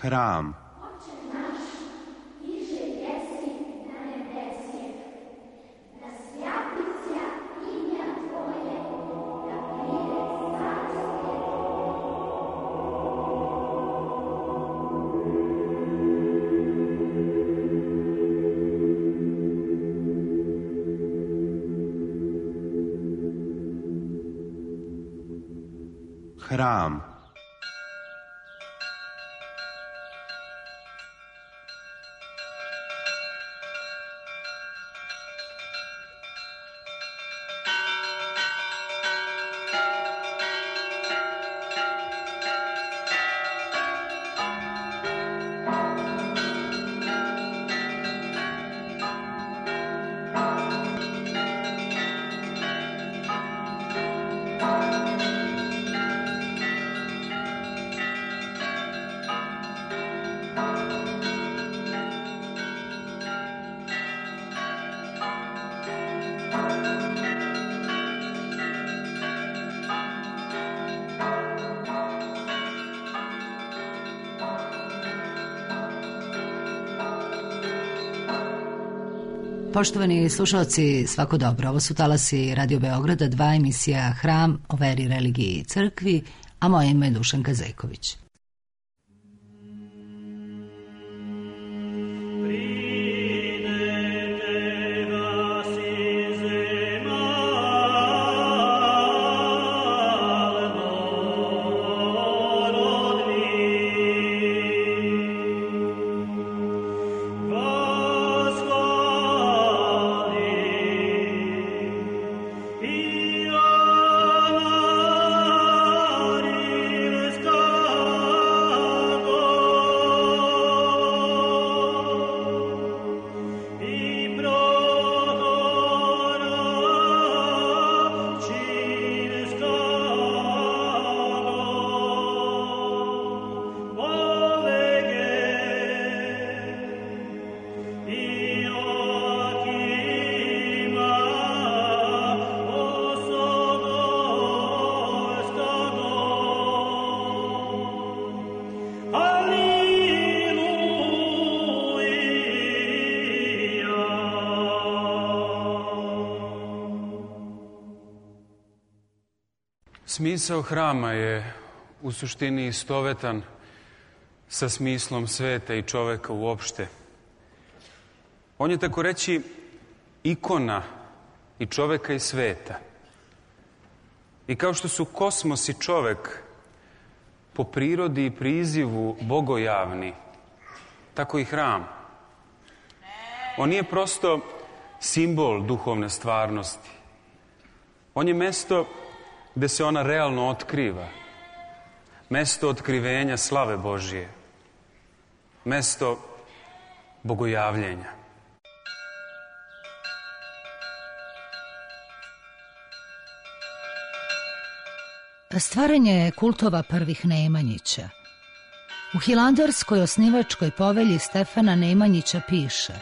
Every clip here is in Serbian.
Hram. Hram. Poštovani slušalci, svako dobro. Ovo su talasi Radio Beograda, 2 emisija Hram o veri, religiji i crkvi, a moje ime je Dušanka Zejković. Smisao hrama je u suštini istovetan sa smislom sveta i čoveka uopšte. On je, tako reći, ikona i čoveka i sveta. I kao što su kosmos i čovek po prirodi i prizivu bogojavni, tako i hram. On nije prosto simbol duhovne stvarnosti. On je mesto gde se ona realno otkriva. Mesto otkrivenja slave Božije. Mesto bogojavljenja. Stvaranje kultova prvih Nemanjića. U Hilandarskoj osnivačkoj povelji Stefana Nemanjića piše: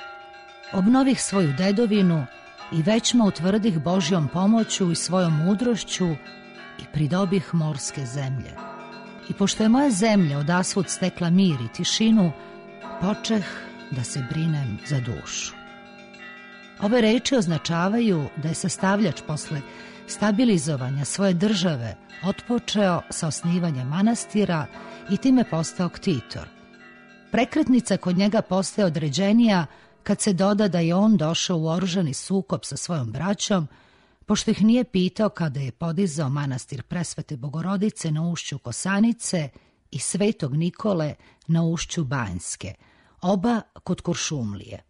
obnovih svoju dedovinu i većma utvrdih Božjom pomoću i svojom mudrošću i pridobih morske zemlje. I pošto je moja zemlja odasvud stekla mir i tišinu, počeh da se brinem za dušu. Ove reči označavaju da je sastavljač posle stabilizovanja svoje države otpočeo sa osnivanjem manastira i time postao ktitor. Prekretnica kod njega postaje određenija kad se doda da je on došao u oružani sukob sa svojom braćom, pošto ih nije pitao kada je podizao manastir Presvete Bogorodice na ušću Kosanice i Svetog Nikole na ušću Banjske, oba kod Kuršumlije.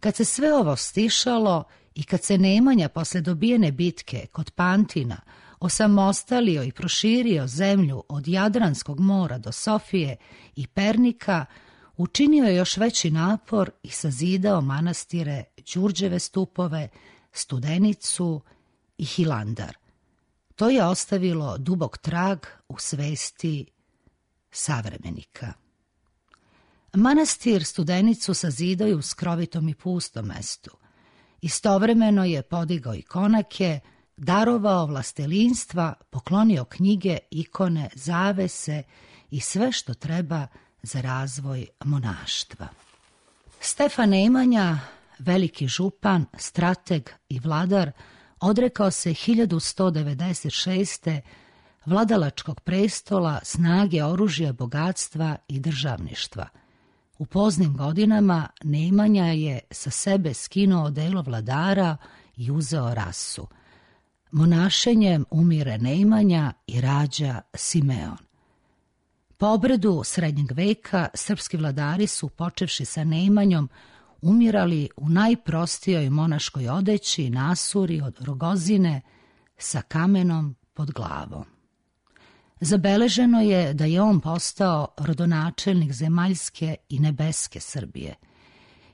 Kad se sve ovo stišalo i kad se Nemanja posle dobijene bitke kod Pantina osamostalio i proširio zemlju od Jadranskog mora do Sofije i Pernika, učinio je još veći napor i sazidao manastire Đurđeve stupove, Studenicu i Hilandar. To je ostavilo dubok trag u svesti savremenika. Manastir Studenicu sazidao je u skrovitom i pustom mestu. Istovremeno je podigao ikonake, darovao vlastelinstva, poklonio knjige, ikone, zavese i sve što treba za razvoj monaštva. Stefan Nemanja, veliki župan, strateg i vladar, odrekao se 1196. vladalačkog prestola, snage, oružja, bogatstva i državništva. U poznim godinama Nemanja je sa sebe skinuo odelo vladara i uzeo rasu. Monašenjem umire Nemanja i rađa Simeon. Po obredu srednjeg veka srpski vladari su, počevši sa Nemanjom, umirali u najprostijoj monaškoj odeći, nasuri od rogozine sa kamenom pod glavom. Zabeleženo je da je on postao rodonačelnik zemaljske i nebeske Srbije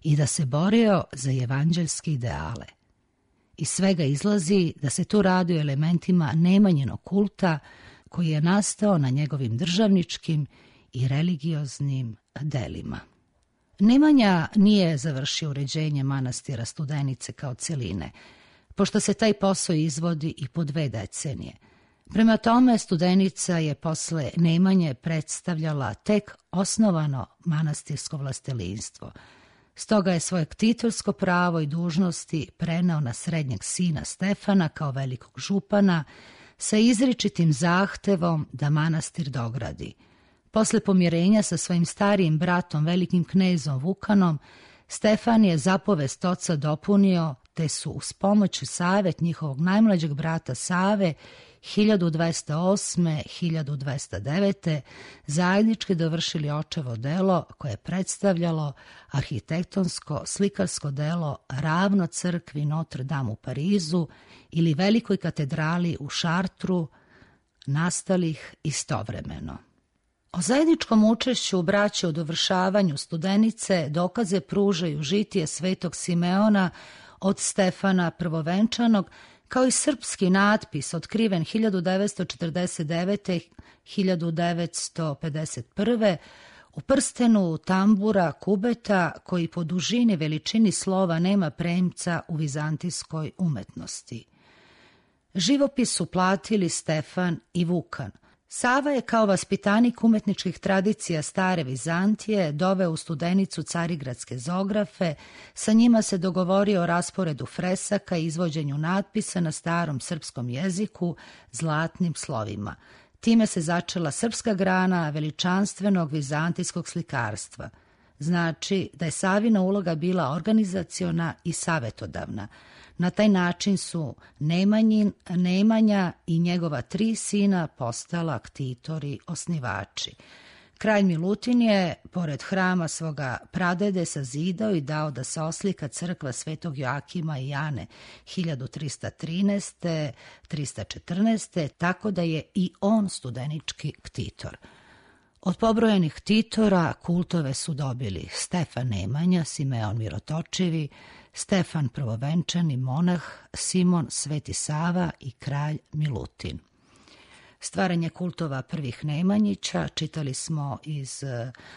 i da se borio za evanđeljske ideale. Iz svega izlazi da se tu radi o elementima Nemanjinog kulta koji je nastao na njegovim državničkim i religioznim delima. Nemanja nije završio uređenje manastira Studenice kao celine, pošto se taj posao izvodi i po 2 decenije. Prema tome, Studenica je posle Nemanje predstavljala tek osnovano manastirsko vlastelinstvo. Stoga je svoje ktitorsko pravo i dužnosti preneo na srednjeg sina Stefana kao velikog župana sa izričitim zahtevom da manastir dogradi. Posle pomirenja sa svojim starijim bratom, velikim knezom Vukanom, Stefan je zapovest oca dopunio, te su uz pomoć i savet njihovog najmlađeg brata Save 1208-1209. zajednički dovršili očevo delo koje je predstavljalo arhitektonsko slikarsko delo ravno crkvi Notre Dame u Parizu ili velikoj katedrali u Šartru, nastalih istovremeno. O zajedničkom učešću braće u dovršavanju Studenice dokaze pružaju žitije svetog Simeona od Stefana Prvovenčanog, kao i srpski natpis otkriven 1999-1951. u prstenu tambura kubeta koji po dužini veličini slova nema premca u vizantijskoj umetnosti. Živopis su platili Stefan i Vukan. Sava je kao vaspitanik umetničkih tradicija stare Vizantije doveo u Studenicu carigradske zografe, sa njima se dogovorio o rasporedu fresaka i izvođenju natpisa na starom srpskom jeziku zlatnim slovima. Time se začela srpska grana veličanstvenog vizantijskog slikarstva. Znači da je Savina uloga bila organizaciona i savetodavna. Na taj način su Nemanja i njegova 3 sina postala ktitori osnivači. Kralj Milutin je, pored hrama svoga pradede, sazidao i dao da se oslika crkva Svetog Joakima i Jane 1313-314, tako da je i on studenički ktitor. Od pobrojenih ktitora kultove su dobili Stefan Nemanja, Simeon Mirotočivi, Stefan Prvovenčani monah, Simon Sveti Sava i kralj Milutin. Stvaranje kultova prvih Nemanjića čitali smo iz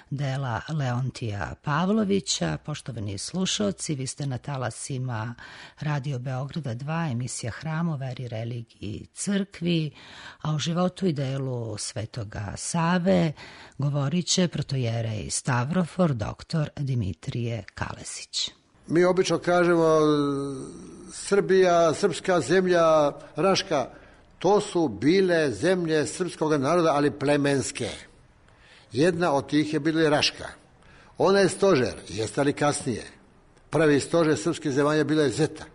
dela Leontija Pavlovića. Poštovani slušalci, vi ste na talasima Radio Beograda 2, emisija Hram o veri, religiji i crkvi, a o životu i delu Svetoga Save govorit će protojerej Stavrofor, dr. Dimitrije Kalesić. Mi obično kažemo Srbija, srpska zemlja, Raška. To su bile zemlje srpskog naroda, ali plemenske. Jedna od tih je bila i Raška. Ona je stožer, jeste li kasnije. Prvi stožer srpske zemalja bila je Zeta.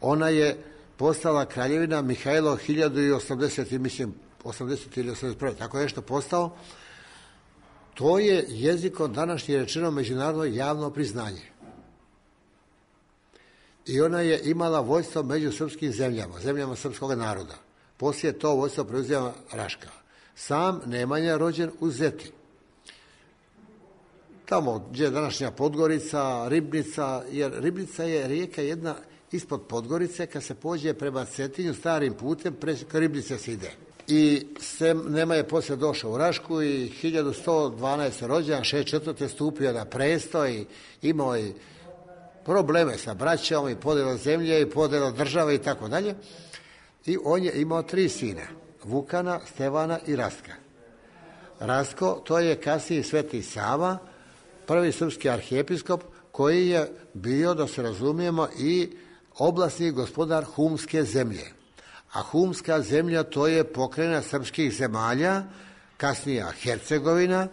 Ona je postala kraljevina Mihajlo 1080, mislim, 80 ili 81, tako je nešto postao. To je jezikom današnje rečeno međunarodno javno priznanje. I ona je imala vojstvo među srpskim zemljama, zemljama srpskog naroda. Poslije to vojstvo preuzela Raška. Sam Nemanja rođen u Zeti. Tamo gdje je današnja Podgorica, Ribnica, jer Ribnica je rijeka jedna ispod Podgorice, kad se pođe prema Cetinju starim putem, preko Ribnice se ide. I Nema je poslije došao u Rašku i 1112. rođen, 64. stupio na presto i imao i probleme sa braćom i podjelo zemlje i podjelo države i tako dalje. I on je imao 3 sina, Vukana, Stevana i Rastka. Rastko, to je kasniji Sveti Sava, prvi srpski arhijepiskop koji je bio, da se razumijemo, i oblasni gospodar Humske zemlje. A Humska zemlja to je pokrajina srpskih zemalja, kasnija Hercegovina,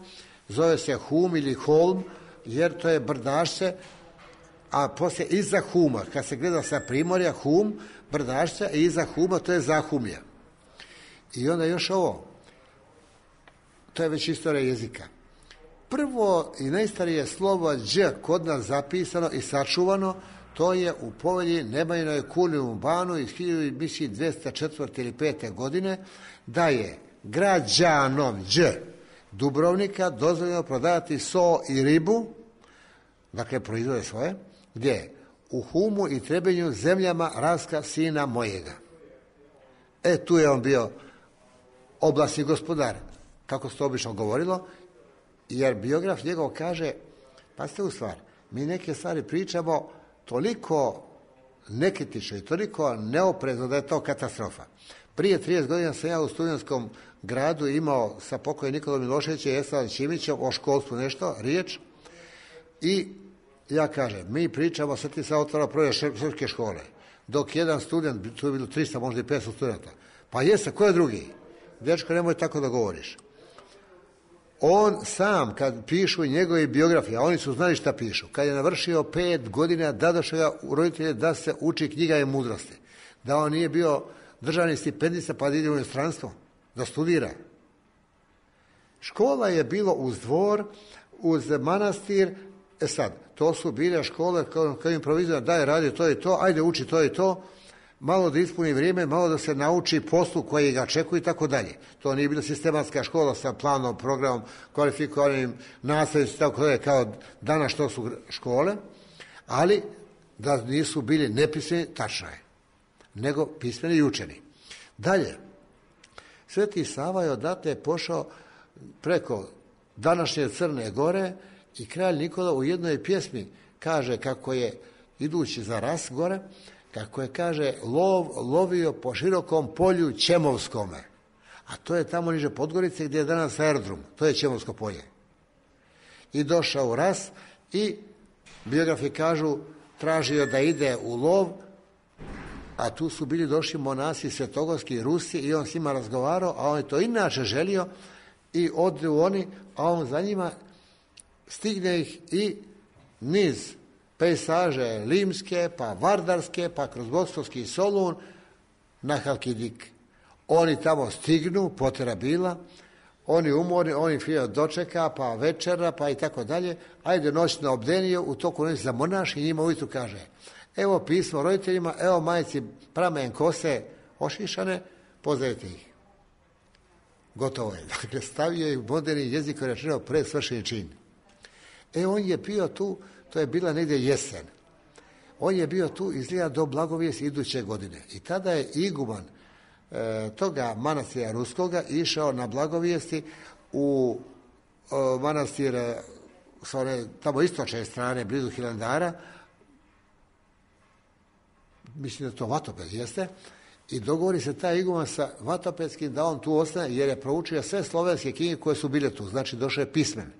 zove se Hum ili Holm, jer to je brdašce, a poslije iza Huma, kad se gleda sa primorja, Hum, brdašce, i iza Huma to je Zahumlje. I onda još ovo, to je već istorija jezika. Prvo i najstarije slovo Đ kod nas zapisano i sačuvano, to je u povelji Nemanjinoj Kulijum Banu iz 1204. ili 5. godine, da je građanom Đ Dubrovnika dozvoljeno prodavati so i ribu, dakle proizvode svoje, gdje? U Humu i Trebinju, zemljama Raska, sina mojega. Tu je on bio oblasni gospodar, kako se to obično govorilo, jer biograf njegov kaže, pazite u stvar, mi neke stvari pričamo toliko nekritično i toliko neoprezno da je to katastrofa. Prije 30 godina sam ja u Studentskom gradu imao sa pokojnim Nikolom Miloševićem i Esladom Ćimićem o školstvu nešto, riječ, i ja kažem, mi pričamo, sad ti se otvara projekt srpske škole, dok jedan student, tu je bilo 300, možda i 500 studenta, pa jeste, ko je drugi? Dečko, nemoj tako da govoriš. On sam, kad pišu njegove biografije, a oni su znali šta pišu, kad je navršio 5 godina, dadoše ga u roditelje da se uči knjiga i mudrosti. Da on nije bio državni stipendista pa da ide u inostranstvo, da studira. Škola je bilo uz dvor, uz manastir. Sad, to su bile škole kao improvizira, daj, radi to i to, ajde uči to i to, malo da ispuni vrijeme, malo da se nauči poslu koji ga čekuje i tako dalje. To nije bila sistematska škola sa planom, programom, kvalifikovanim nastavnicima, tako dalje, kao danas što su škole, ali da nisu bili nepismeni, tačno je, nego pismeni i učeni. Dalje, Sveti Sava je odatle pošao preko današnje Crne Gore i kralj Nikola u jednoj pjesmi kaže kako je, idući za Ras gore, kako je, kaže, lovio po širokom polju Ćemovskome. A to je tamo niže Podgorice gdje je danas aerodrom. To je Ćemovsko polje. I došao u Ras i biografi kažu tražio da ide u lov, a tu su bili došli monasi svetogorski Rusi i on s njima razgovarao, a on je to inače želio i odu oni, a on za njima stigne ih i niz pejsaže limske, pa vardarske, pa kroz Bokstovski Solun na Halkidik. Oni tamo stignu, potera bila, oni umorni, oni fio dočeka, pa večera, pa i tako dalje. Ajde noć na obdeniju, u toku noći za monaš i njima ujutru kaže, evo pismo roditeljima, evo majci pramen kose ošišane, pozdravite ih. Gotovo je. Dakle, stavio je moderni jezik koji rečeno pred svršeni čin. On je bio tu, to je bila negdje jesen. On je bio tu izgleda do Blagovijesti iduće godine. I tada je iguman toga manastira Ruskoga išao na Blagovijesti u manastir s one tamo istočne strane, blizu Hilandara, mislim da to Vatoped jeste, i dogovori se taj iguman sa Vatopetskim da on tu ostane, jer je proučio sve slovenske knjige koje su bile tu, znači došao je pismen.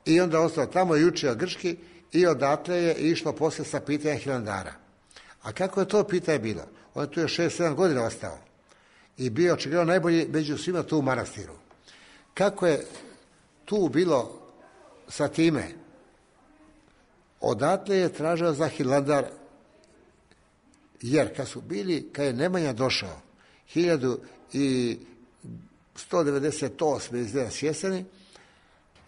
I onda ostao tamo i učio grčki i odatle je išlo poslije sa pitanja Hilandara. A kako je to pitanje bilo? On je tu još 6-7 godina ostao i bio očigledno najbolji među svima tu u manastiru. Kako je tu bilo sa time? Odatle je tražio za Hilandar, jer kad je Nemanja došao 1198. izgleda sjeseni,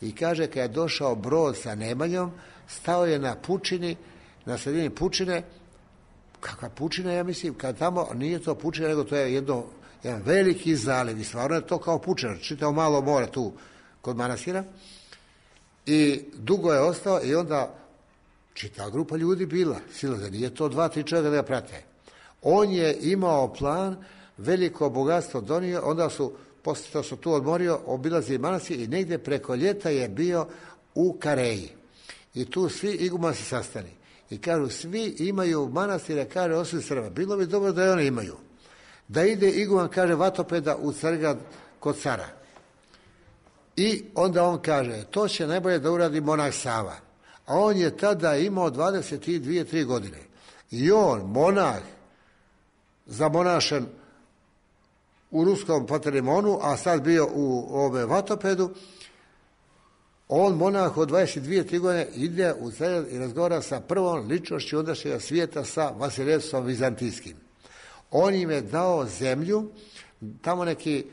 i kaže kad je došao brod sa Nemanjom, stao je na pučini, na sredini pučine. Kakva pučina, ja mislim, kad tamo nije to pučina, nego to je jedan veliki zaliv i stvarno je to kao pučina, čitao malo more tu kod manastira. I dugo je ostao i onda čitava grupa ljudi bila, silaze, nije to 2-3 čovjeka da ga prate. On je imao plan, veliko bogatstvo donio, onda su, poslije to su tu odmorio, obilazili manastir i negdje preko ljeta je bio u Kareji. I tu svi igumani se sastali. I kažu, svi imaju manastire, kaže, osim Srba. Bilo bi dobro da i oni imaju. Da ide iguman, kaže, Vatopeda u Crgrad kod cara. I onda on kaže, to će najbolje da uradi monah Sava. A on je tada imao 22-3 godine. I on, monah, zamonašen u ruskom Pantelimonu, a sad bio u Vatopedu, on, monah od 22-3 godine, ide u Carigrad i razgovara sa prvom ličnošću ondašnjega svijeta, sa Vasilevsom Vizantijskim. On im je dao zemlju, tamo neki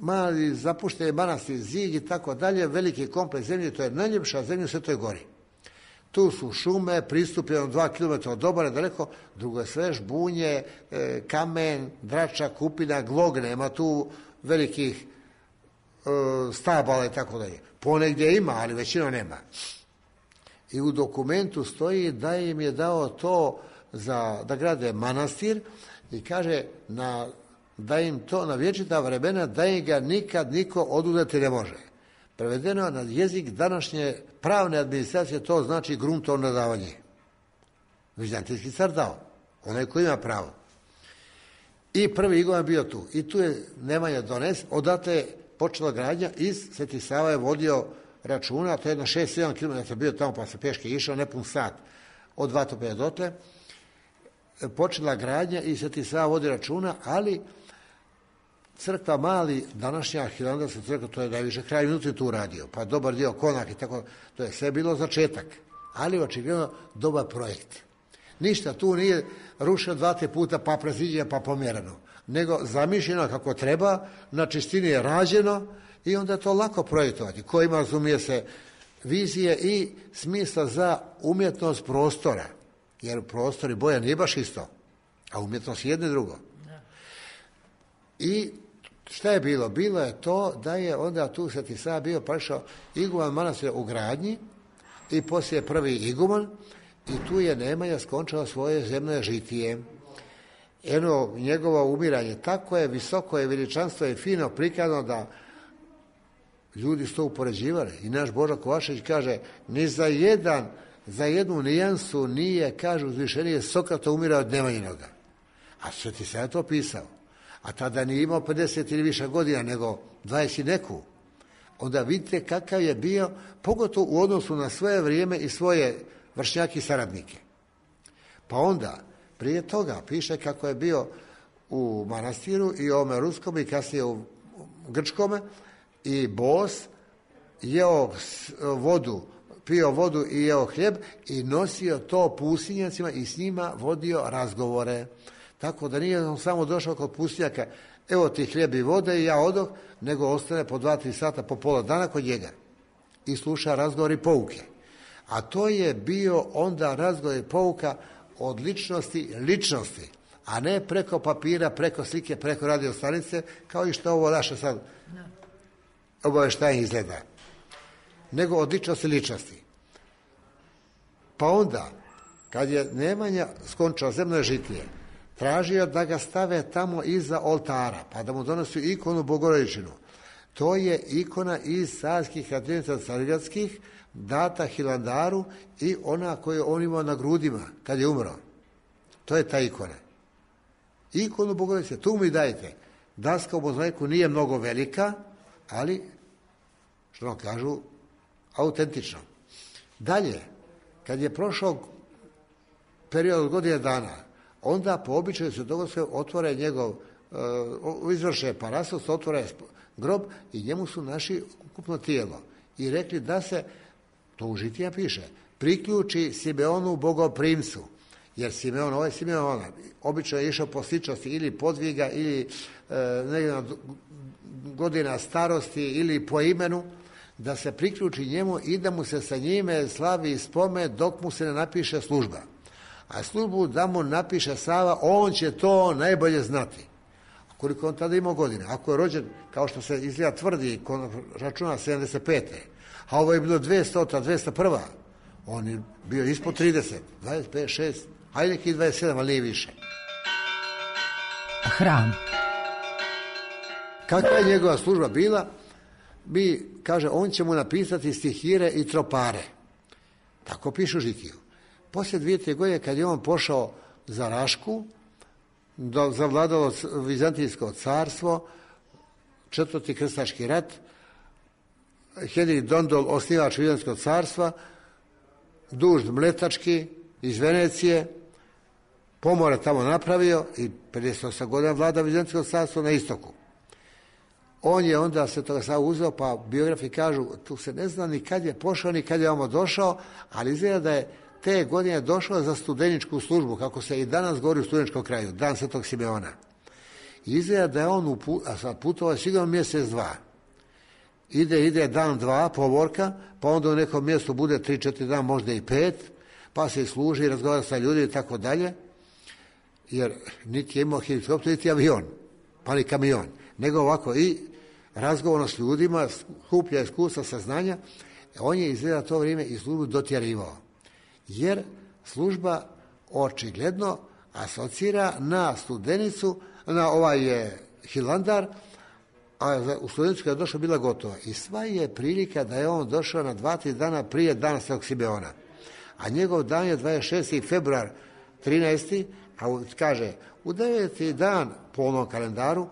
mali zapušteni manastir, Zig i tako dalje, veliki kompleks zemlje, to je najljepša zemlja u Svetoj Gori. Tu su šume, pristupljeno 2 km od obale daleko, drugo je sve žbunje, kamen, drača, kupina, glog, nema tu velikih stabala i tako dalje. Ponegdje ima, ali većina nema. I u dokumentu stoji da im je dao to da grade manastir i kaže da im to na vječita vremena, da im ga nikad niko oduzeti ne može. Prevedeno na jezik današnje pravne administracije, to znači gruntovno davanje. Vizantijski car dao, onaj koji ima pravo. I prvi iguman bio tu. I tu je Nemanja donesen, odatle je počela gradnja, iz Sveti Sava je vodio računa, to je na 6-7 km bio tamo, pa se peške išao, nepun sat od Vatopeda dotle. Počela gradnja i Sveti Sava vodi računa, ali crkva mali, današnja Hilandarska crkva, to je najviše kraj minuti tu radio, pa dobar dio konak i tako, to je sve bilo začetak, ali očigledno dobar projekt. Ništa tu nije rušeno 2-3 puta, pa preziđeno, pa pomjereno, nego zamišljeno kako treba, na čistini je rađeno i onda je to lako projektovati. Ko ima, razumije se, vizije i smisla za umjetnost prostora, jer prostor i boja nije baš isto, a umjetnost je jedno i drugo. I šta je bilo? Bilo je to da je onda tu Sveti Sava bio prešao iguman manastira u gradnji i poslije prvi iguman i tu je Nemanja skončao svoje zemlje žitije. Njegovo umiranje tako je visoko je veličanstvo i fino prikazano da ljudi su to upoređivali. I naš Božo Kovačević kaže, ni za jednu nijansu nije, kaže uzvišenije, Sokrata umirao od Nemanjinoga. A Sveti Sava je to pisao. A tada nije imao 50 ili više godina, nego 20 i neku. Onda vidite kakav je bio, pogotovo u odnosu na svoje vrijeme i svoje vršnjake i saradnike. Pa onda, prije toga, piše kako je bio u manastiru i ovome ruskom i kasnije u grčkome i bos, jeo vodu, pio vodu i jeo hljeb i nosio to pustinjacima i s njima vodio razgovore. Tako da nije on samo došao kod pustinjaka, evo ti hljeb i vode i ja odoh, nego ostane po 2-3 sata, po pola dana kod njega i sluša razgovor i pouke. A to je bio onda razgovor i pouka od ličnosti, a ne preko papira, preko slike, preko radio stanice, kao i što ovo naše sad obavještajanje izgleda. Nego od ličnosti. Pa onda, kad je Nemanja skončao zemlje žitije, tražio da ga stave tamo iza oltara, pa da mu donosi ikonu Bogorodičinu. To je ikona iz carskih katednica carigradskih, data Hilandaru i ona koju on imao na grudima kad je umro. To je ta ikona. Ikonu Bogorodice, tu mi dajte. Daska u mozaiku nije mnogo velika, ali, što nam kažu, autentično. Dalje, kad je prošao period od godine dana, onda po običaju se dogodilo otvore njegov, izvrše parasos, otvore grob i njemu su naši ukupno tijelo. I rekli da se, to u žitija piše, priključi Simeonu bogoprimcu. Jer Simeon, ovaj Simeon, obično je išao po sličnosti ili podviga ili godina starosti ili po imenu, da se priključi njemu i da mu se sa njime slavi spomen dok mu se ne napiše služba. A službu da mu napiše Sava, on će to najbolje znati. A koliko on tada imao godina? Ako je rođen, kao što se izgleda tvrdi, računa 75. A ovo je bilo 200, 201. On je bio ispod 30, 25, 6, hajde neki 27, ali nije više. Hram. Kakva je njegova služba bila? Kaže, on će mu napisati stihire i tropare. Tako pišu žitiju. Poslije 2-3 godine, kad je on pošao za Rašku, zavladalo Vizantijsko carstvo, 4. krstaški rat, Henrik Dondol, osnivač Vizantijskog carstva, duž Mletački iz Venecije, pomore tamo napravio i 58 godina vlada Vizantijskog carstva na istoku. On je onda Svetoga Savu uzeo, pa biografi kažu, tu se ne zna ni kad je pošao, ni kad je ovamo došao, ali izgleda da je te godine došao za studeničku službu, kako se i danas govori u studeničkom kraju, dan Svetog Simeona. I izgleda da je on putovao sigurno mjesec, dva. Ide dan, dva, povorka, pa onda u nekom mjestu bude 3-4 dana, možda i 5, pa se služi, razgovara sa ljudima i tako dalje, jer niti je imao helikopter, niti avion, pa ni kamion, nego ovako i razgovorno s ljudima, skuplja iskustva, saznanja. On je izgleda to vrijeme i službu dotjerivao, jer služba očigledno asocira na Studenicu, na Hilandar, a u Studenicu kada je došao bila gotova. I sva je prilika da je on došao na 2-3 dana prije dana Svetog Simeona. A njegov dan je 26. februar 13. A kaže, u 9. dan po onom kalendaru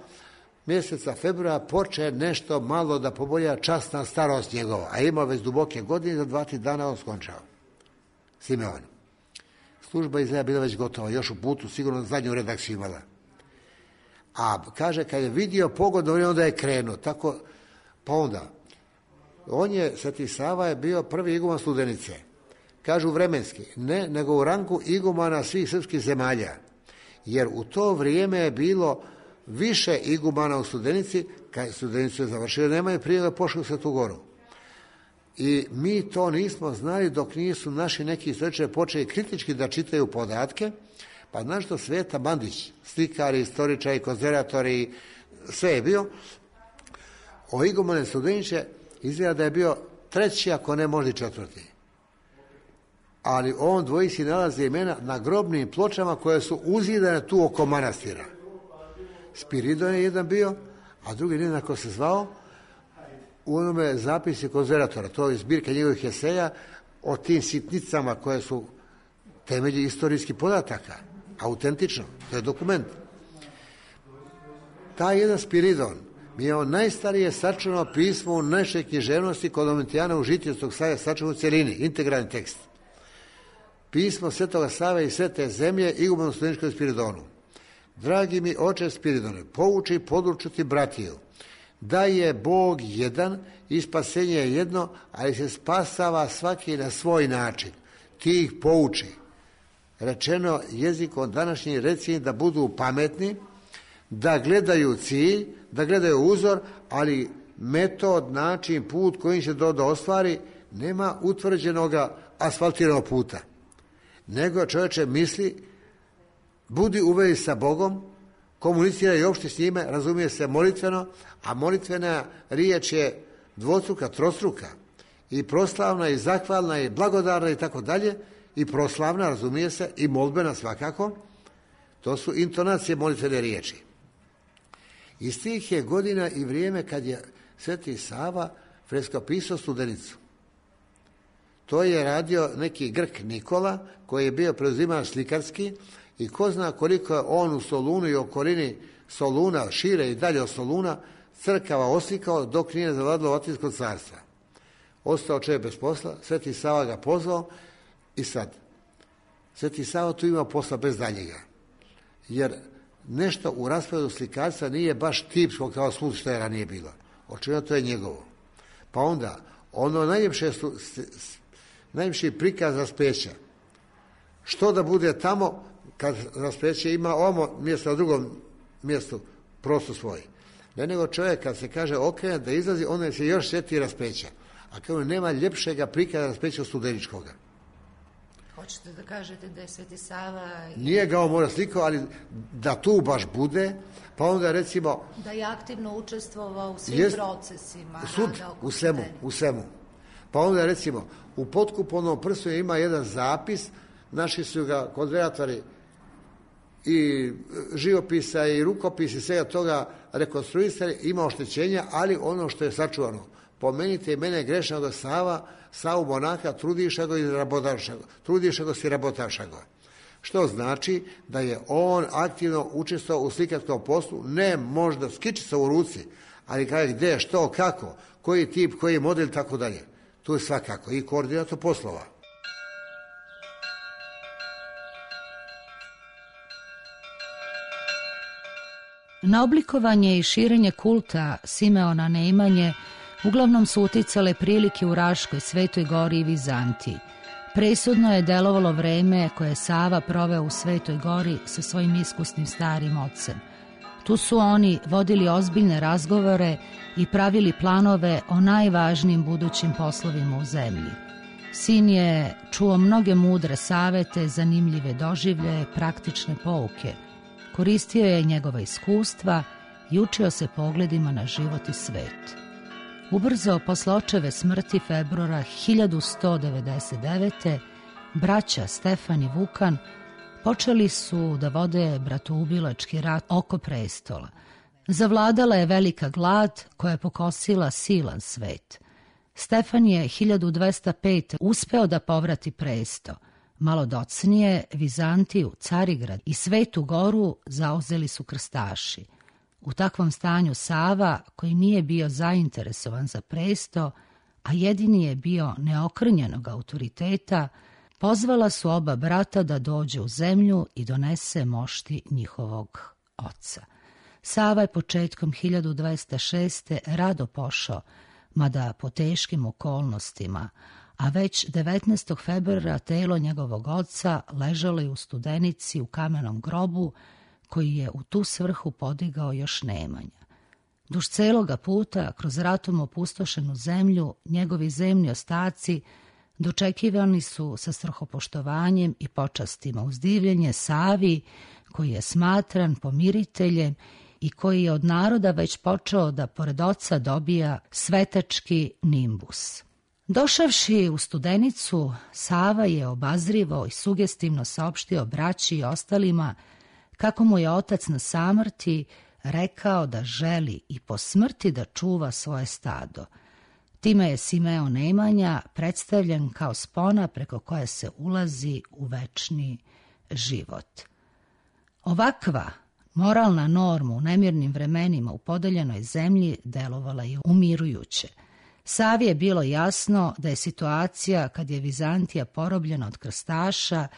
mjeseca februara poče nešto malo da pobolja časna starost njegova, a imao već duboke godine, za 2-3 dana on skončao. Simeon. Služba izgleda bila već gotova, još u putu, sigurno zadnju redakciju imala. A kaže, kad je vidio pogodno vrijeme, onda je krenuo. Tako, pa onda, Sveti Sava je bio prvi iguman Studenice. Kažu vremenski, ne, nego u rangu igumana svih srpskih zemalja. Jer u to vrijeme je bilo više igumana u Studenici, kad Studenicu je završio, nema je prije da pošli u Svetu Goru. I mi to nismo znali dok nisu naši neki istoričari počeli kritički da čitaju podatke, pa znaš što Sveta Bandić, slikari, istoričari, konzervatori, sve je bio, o igumane Studenice izgleda da je bio 3. ako ne možda 4. Ali on dvojici nalazi imena na grobnim pločama koje su uzidane tu oko manastira. Spiridon je jedan bio, a drugi ne znam kako se zvao, u onome zapisi konzervatora, to je zbirka njegovih eseja o tim sitnicama koje su temelji istorijskih podataka, autentično, to je dokument. Taj jedan Spiridon mi je on najstarije sačuvano pismo u našoj književnosti kod Domitijana u Žitijevskog Save sačuvano u cjelini, integralni tekst. Pismo Svetoga Save i Svete zemlje igumanu Studeničkom Spiridonu. Dragi mi oče Spiridone, pouči podučiti bratiju da je Bog jedan i spasenje je jedno, ali se spasava svaki na svoj način. Ti ih pouči. Rečeno jezikom današnjim, reci im da budu pametni, da gledaju cilj, da gledaju uzor, ali metod, način, put kojim će do ostvari, nema utvrđenog asfaltiranog puta. Nego čovječe misli, budi u vezi sa Bogom, komunicira i opšti s njime, razumije se molitveno, a molitvena riječ je dvostruka, trostruka, i proslavna, i zahvalna, i blagodarna, i tako dalje, i proslavna, razumije se, i molbena svakako. To su intonacije molitvene riječi. Iz tih je godina i vrijeme kad je Sveti Sava freskopisao Studenicu. To je radio neki Grk Nikola, koji je bio preuziman slikarski, i ko zna koliko je on u Solunu i okolini Soluna, šire i dalje od Soluna, crkava oslikao dok nije zavladalo Vatinsko carstva. Ostao čovjek bez posla, Sveti Sava ga pozvao i sad. Sveti Sava tu ima posla bez daljega. Jer nešto u rasporedu slikarstva nije baš tipsko kao svud što je ranije bilo. Očigledno to je njegovo. Pa onda, ono najljepši prikaz raspeća. Što da bude tamo kad raspeće ima ovo mjesto na drugom mjestu prostor svoj. Ne nego čovjek kad se kaže okrene da izlazi, onda se još sjeti raspeća. A kao nema ljepšega prikaza raspeća od Studeničkoga. Hoćete da kažete da je Sveti Sava... Nije ga on mora slikao, ali da tu baš bude, pa onda recimo... Da je aktivno učestvovao u svim procesima. U svemu. Pa onda recimo, u potkupovnom prstu ima jedan zapis, naši su ga konzervatori i živopisa i rukopisa i svega toga rekonstruisali, ima oštećenja, ali ono što je sačuvano. Pomenite i mene grešnog Savu monaha, trudiša go si rabotaša go. Što znači da je on aktivno učestvovao u slikarskom poslu, ne možda s kičicom u ruci, ali kaže gdje, što, kako, koji tip, koji model, tako dalje. Tu je svakako i koordinator poslova. Na oblikovanje i širenje kulta Simeona Nemanje uglavnom su uticale prilike u Raškoj, Svetoj Gori i Vizantiji. Presudno je delovalo vreme koje je Sava proveo u Svetoj Gori sa svojim iskusnim starim ocem. Tu su oni vodili ozbiljne razgovore i pravili planove o najvažnijim budućim poslovima u zemlji. Sin je čuo mnoge mudre savete, zanimljive doživljaje, praktične pouke. Koristio je njegova iskustva i učio se pogledima na život i svet. Ubrzo posle očeve smrti februara 1199. braća Stefan i Vukan počeli su da vode bratoubilački rat oko prestola. Zavladala je velika glad koja je pokosila silan svet. Stefan je 1205. uspeo da povrati presto. Malo docnije Vizantiju, Carigrad i Svetu Goru zauzeli su krstaši. U takvom stanju Sava, koji nije bio zainteresovan za presto, a jedini je bio neokrnjenog autoriteta, pozvala su oba brata da dođe u zemlju i donese mošti njihovog oca. Sava je početkom 1206. rado pošao, mada po teškim okolnostima, a već 19. februara telo njegovog oca ležalo je u Studenici u kamenom grobu koji je u tu svrhu podigao još Nemanja. Duž celoga puta, kroz ratom opustošenu zemlju, njegovi zemni ostaci dočekivani su sa strahopoštovanjem i počastima uz divljenje Savi, koji je smatran pomiriteljem i koji je od naroda već počeo da pored oca dobija svetački nimbus. Došavši u Studenicu, Sava je obazrivo i sugestivno saopštio braći i ostalima kako mu je otac na samrti rekao da želi i po smrti da čuva svoje stado. Time je Simeon Nemanja predstavljen kao spona preko koje se ulazi u večni život. Ovakva moralna norma u nemirnim vremenima u podeljenoj zemlji delovala je umirujuće. Savi je bilo jasno da je situacija kad je Vizantija porobljena od krstaša,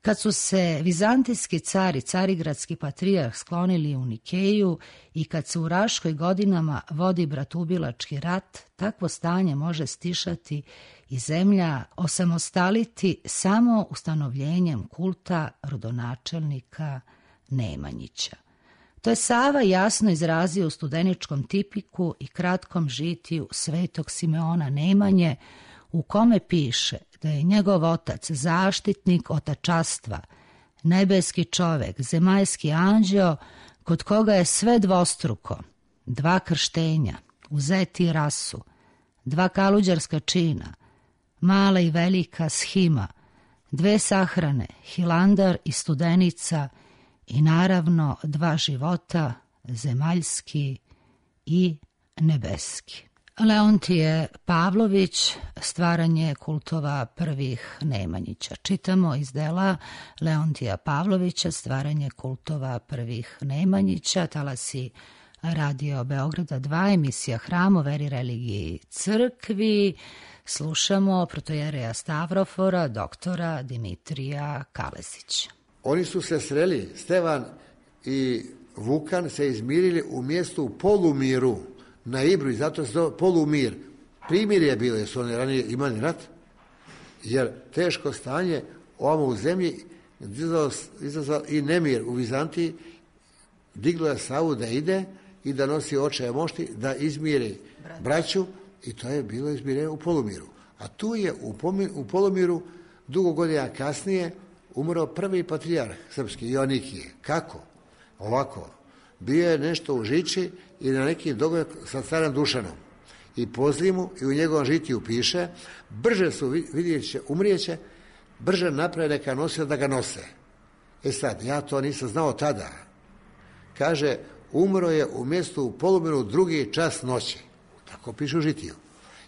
kad su se vizantijski car i carigradski patrijarh sklonili u Nikeju i kad se u Raškoj godinama vodi bratoubilački rat, takvo stanje može stišati i zemlja osamostaliti samo ustanovljenjem kulta rodonačelnika Nemanjića. To je Sava jasno izrazio u studeničkom tipiku i kratkom žitiju svetog Simeona Nemanje, u kome piše da je njegov otac zaštitnik otačastva, nebeski čovek, zemaljski anđeo, kod koga je sve dvostruko, 2 krštenja, uzeti rasu, 2 kaluđarska čina, mala i velika shima, 2 sahrane, Hilandar i Studenica i naravno 2 života, zemaljski i nebeski. Leontije Pavlović, stvaranje kultova prvih Nemanjića. Čitamo iz dela Leontija Pavlovića, stvaranje kultova prvih Nemanjića, talasi Radio Beograda 2, emisija Hram o veri, religiji, crkvi. Slušamo protojereja Stavrofora, doktora Dimitrija Kalesića. Oni su se sreli, Stevan i Vukan se izmirili u mjestu Polumiru na Ibru i zato se zove Polumir. Primjer je bilo, jer su oni ranije imali rat, jer teško stanje ovamo u zemlji izazvalo i nemir u Vizantiji, diglo je Savu da ide i da nosi očeve mošti, da izmiri braću i to je bilo izmirenje u Polumiru. A tu je u Polumiru dugo godina kasnije umro prvi patrijarh srpski, Joanikije. Kako? Ovako. Bio je nešto u žiči i na neki dogovor sa carom Dušanom. I po zimu i u njegovom žitiju piše, brže su, vidjet će, umrijeće, brže naprave neka nosila da ga nose. E sad, ja to nisam znao tada. Kaže, umro je u mjestu u Polumiru 2. čas noći. Tako piše u žitiju.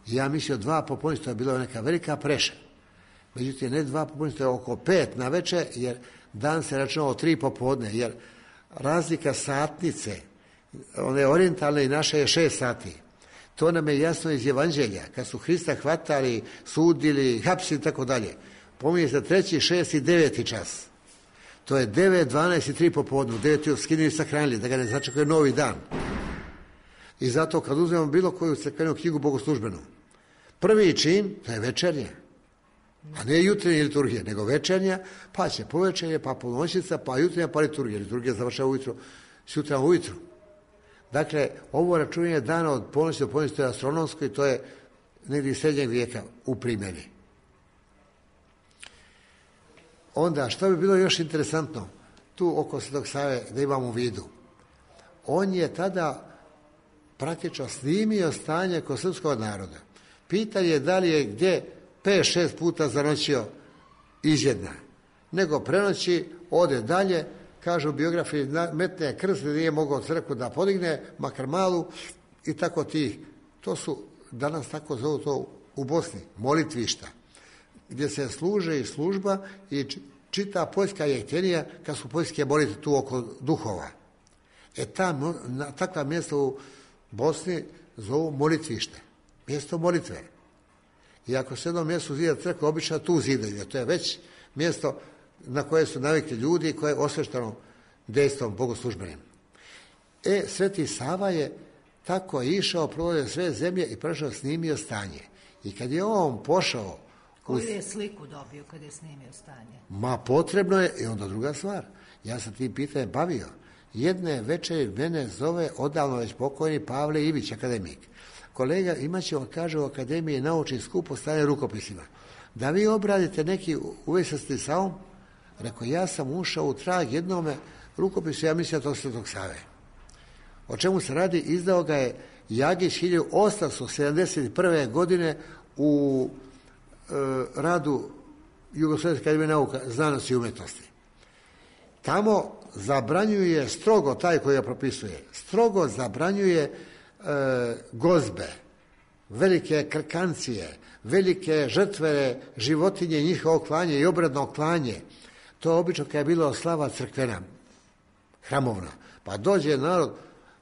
I ja mislio 2 popodne, to je bila neka velika preša. Međutim, ne 2 popodne, to je oko 5 na večer, jer dan se računao 3 popodne, jer razlika satnice, one orijentalne i naše je 6 sati. To nam je jasno iz Evanđelja. Kad su Hrista hvatali, sudili, hapsili i tako dalje. Pominje se 3., 6. i 9. čas. To je 9, 12 i 3 popodnu. 9 skinuli i sahranili, da ga ne začekuje novi dan. I zato kad uzmemo bilo koju crkvenu knjigu bogoslužbenu, prvi čin, to je večernja. A ne jutrnja liturgija, nego večernja, pa će povečernje, pa ponoćica, pa jutrnja, pa liturgija. Liturgija završava ujutro, sutra ujutru. Dakle, ovo računanje dana od ponoći do ponoći, to je astronomsko i to je negdje iz srednjeg vijeka u primjeni. Onda, što bi bilo još interesantno, tu oko Svetog Save da imamo u vidu, on je tada praktično snimio stanje kod srpskog naroda. Pitanje je da li je gdje 5-6 puta zanoćio izjedna, nego prenoći, ode dalje, kaže u biografiji, metne krst, nije mogao crkvu da podigne, makar malu, i tako tih. To su, danas tako zovu to u Bosni, molitvišta, gdje se služe i služba i čita poljska jektenija kad su poljske molite tu oko duhova. Takva mjesta u Bosni zovu molitvište, mjesto molitve. I ako se jednom mjestu zida crkva, obično tu zidaju, to je već mjesto na koje su navikli ljudi i koje je osvešteno dejstvom bogoslužbenim. Sveti Sava je tako išao, provodio sve zemlje i prešao snimio stanje. I kad je on pošao... Koju je sliku dobio kad je snimio stanje? Ma potrebno je, i onda druga stvar. Ja sam tim pitanjem bavio. Jedne večeri mene zove odavno već pokojni Pavle Ivić, akademik. Kolega, imat će, kaže, u akademiji naučni skup o stanje rukopisima. Da vi obradite neki uvesti sa ovom, rekao, ja sam ušao u trag jednome rukopisu, ja mislim da to Svetog Save. O čemu se radi? Izdao ga je Jagić 1871. godine u radu Jugoslovenske akademije nauka, znanosti i umjetnosti. Tamo zabranjuje strogo, taj koji ga propisuje, strogo zabranjuje gozbe, velike krkancije, velike žrtve životinje, njihovo klanje i obredno klanje. To obično kad je bilo slava crkvena, hramovna. Pa dođe narod,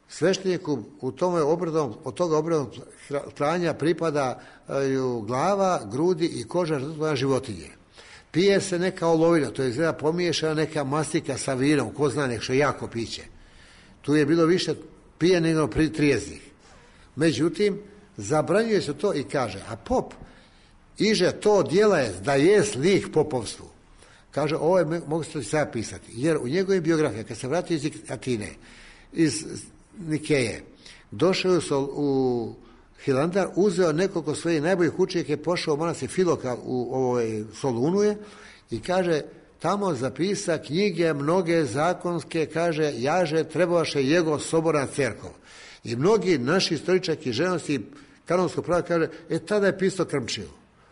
svešteniku u tome obredom, od toga obrednog klanja pripadaju glava, grudi i koža žrtvena životinje. Pije se neka olovina, to je izgleda pomiješana neka mastika sa vinom, ko zna nek što jako piće. Tu je bilo više pije nego trijeznih. Međutim, zabranjuje se to i kaže, a pop iže to djela je da je slik popovstvu. Kaže, ovo je, mogu se to sada pisati, jer u njegovoj biografiji, kad se vratio iz Atine, iz Nikeje, došao je u Hilandar, uzeo nekoliko svojih najboljih učenika, je pošao u manastir Filoka u Solunuje i kaže, tamo zapisa knjige mnoge zakonske, kaže, jaže trebaše jego soborna cerkov. I mnogi naši istoričaki ženosti kanonskog prava kaže, tada je pisao Krmčiju.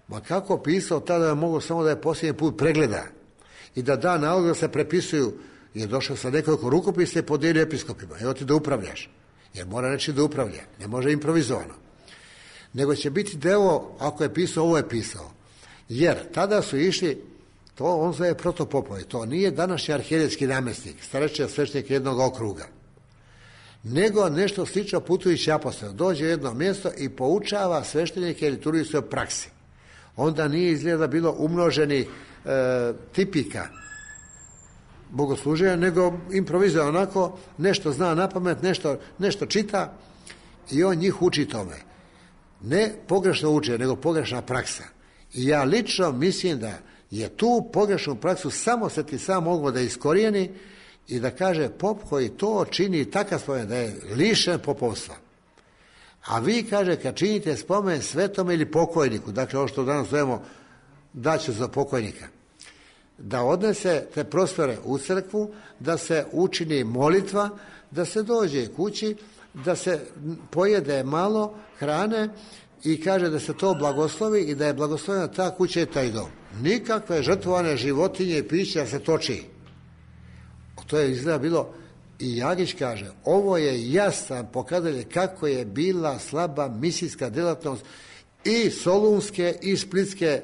Ma kako pisao, tada je mogo samo da je posljednji put pregleda i da nalog da se prepisuju. Je došao sa nekoliko rukopisa i podijelio episkopima. Evo ti da upravljaš. Jer mora reći da upravlja. Ne može improvizovano. Nego će biti deo, ako je pisao, ovo je pisao. Jer tada su išli, to on zove protopopovi. To nije današnji arhijeretski namjesnik, starečni svećenik jednog okruga. Nego nešto slično putujući apostol. Dođe u jedno mjesto i poučava sveštenike i liturgijskoj praksi. Onda nije izgleda bilo umnoženih tipika bogosluženja, nego improvizuje onako, nešto zna napamet, nešto čita i on njih uči tome. Ne pogrešno uče, nego pogrešna praksa. I ja lično mislim da je tu pogrešnu praksu samo Sveti Sava mogao da iskorijeni i da kaže pop koji to čini takav spomen da je lišen popovstva. A vi, kaže, kad činite spomen svetome ili pokojniku, dakle ovo što danas zovemo daću za pokojnika, da odnese te prostore u crkvu, da se učini molitva, da se dođe kući, da se pojede malo hrane i kaže da se to blagoslovi i da je blagoslovena ta kuća i taj dom. Nikakve žrtvovane životinje i pića se toči. To je izgleda bilo, i Jagić kaže, ovo je jasan pokazatelj kako je bila slaba misijska djelatnost i solunske i splitske